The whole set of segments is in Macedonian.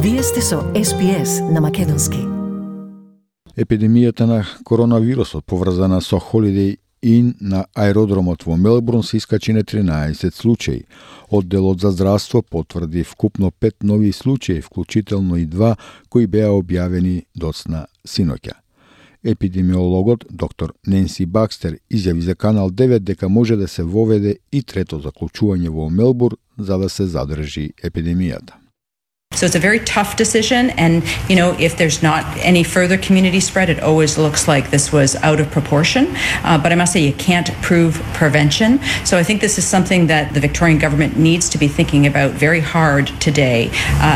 Вие сте со SPS на македонски. Епидемијата на коронавирусот поврзана со Holiday Inn на аеродромот во Мелбурн се искачи на 13 случаи. Одделот за здравство потврди вкупно 5 нови случаи, вклучително и 2 кои беа објавени доцна синоќа. Епидемиологот доктор Ненси Бакстер изјави за Канал 9 дека може да се воведе и трето заклучување во Мелбурн за да се задржи епидемијата. So it's a very tough decision, and if there's not any further community spread, it always looks like this was out of proportion. But I must say, you can't prove prevention. So I think this is something that the Victorian government needs to be thinking about very hard today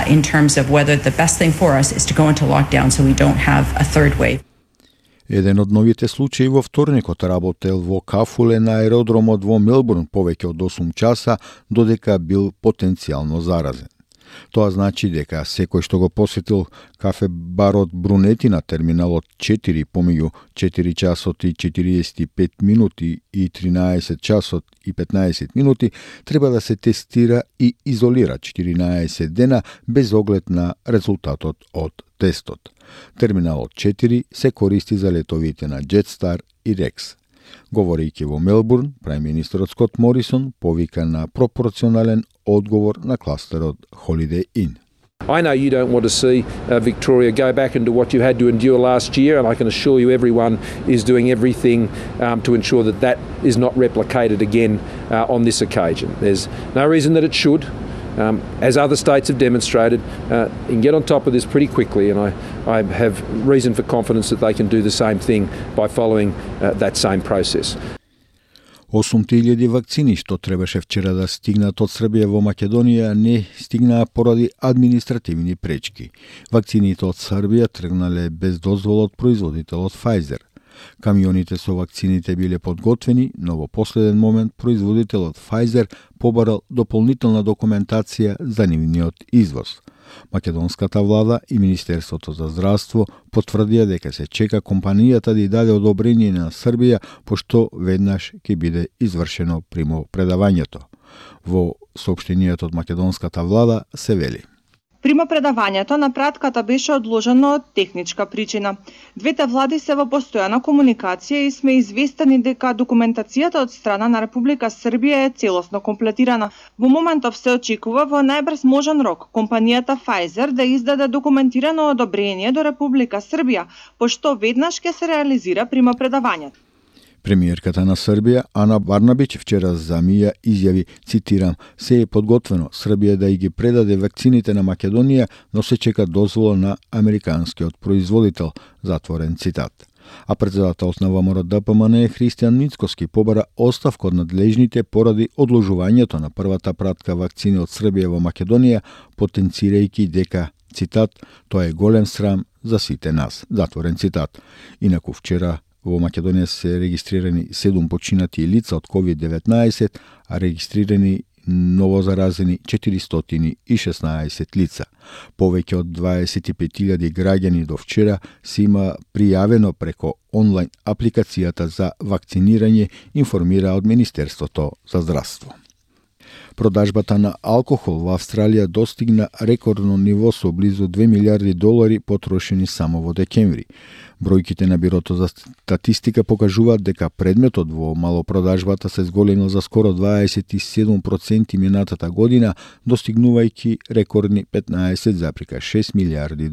in terms of whether the best thing for us is to go into lockdown so we don't have a third wave. Еден од новите случаи во вторникот работел во кафуле на аеродромот во Мелбурн повеќе од 8 часа, додека бил потенцијално заразен. Тоа значи дека секој што го посетил кафе-барот Брунети на терминалот 4 помеѓу 4 часот и 45 минути и 13 часот и 15 минути треба да се тестира и изолира 14 дена без оглед на резултатот од тестот. Терминалот 4 се користи за летовите на Jetstar и Rex. Говорејќи во Мелбурн, премиерот Скот Морисон повика на пропорционален одговор на кластерот Holiday Inn. I know you don't want to see Victoria go back into what you had to endure last year, and I can assure you everyone is doing everything to ensure that that is not replicated again on this occasion. There's no reason that it should. As other states have demonstrated, you can get on top of this pretty quickly, and I have reason for confidence that they can do the same thing by following that same process. 8.000 вакцини што требаше вчера да стигнат од Србија во Македонија не стигнаа поради административни пречки. Вакцините од Србија тргнале без дозвола од производителот Pfizer. Камионите со вакцините биле подготвени, но во последен момент производителот Pfizer побарал дополнителна документација за нивниот извоз. Македонската влада и Министерството за здравство потврдија дека се чека компанијата да даде одобрение на Србија, пошто веднаш ќе биде извршено примопредавањето. Во соопштенијата од македонската влада се вели: Примопредавањето на пратката беше одложено од техничка причина. Двете влади се во постојана комуникација и сме известени дека документацијата од страна на Република Србија е целосно комплетирана. Во моментов се очекува во најбрз можен рок компанијата Pfizer да издаде документирано одобрение до Република Србија, пошто веднаш ќе се реализира примопредавањето. Премиерката на Србија, Ана Барнабич, вчера за МИА изјави, цитирам, се е подготвено Србија да ги предаде вакцините на Македонија, но се чека дозвола на американскиот производител, затворен цитат. А председателот на ВМРО-ДПМН Христијан Мицкоски побара оставка од надлежните поради одложувањето на првата пратка вакцини од Србија во Македонија, потенцирајќи дека, цитат, тоа е голем срам за сите нас, затворен цитат. Инаку вчера во Македонија се регистрирани 7 починати лица од COVID-19, а регистрирани новозаразени 416 лица. Повеќе од 25.000 граѓани до вчера се има пријавено преко онлайн апликацијата за вакцинирање, информира од Министерството за здравство. Продажбата на алкохол во Австралија достигна рекордно ниво со близу $2 милиарди потрошени само во декември. Бројките на Бирото за статистика покажуваат дека предметот во малопродажбата се зголемил за скоро 27% минатата година, достигнувајќи рекордни $15,6 милиарди.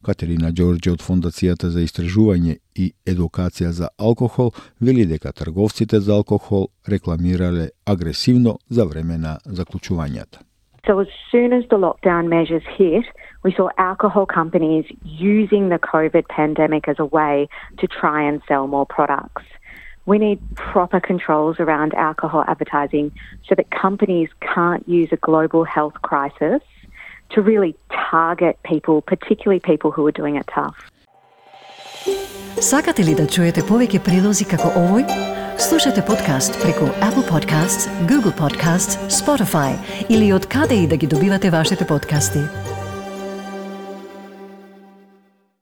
Катерина Ѓорѓе од Фондацијата за истражување и едукација за алкохол вели дека трговците за алкохол рекламирале агресивно за време на заклучувањата. So as soon as the lockdown measures hit, we saw alcohol companies using the COVID pandemic as a way to try and sell more products. We need proper controls around alcohol advertising so that companies can't use a global health crisis to really target people, particularly people who are doing it tough. Сакате ли да чуете повеќе прилози како овој? Слушате подкаст преку Apple Podcasts, Google Podcasts, Spotify или од каде и да ги добивате вашите подкасти.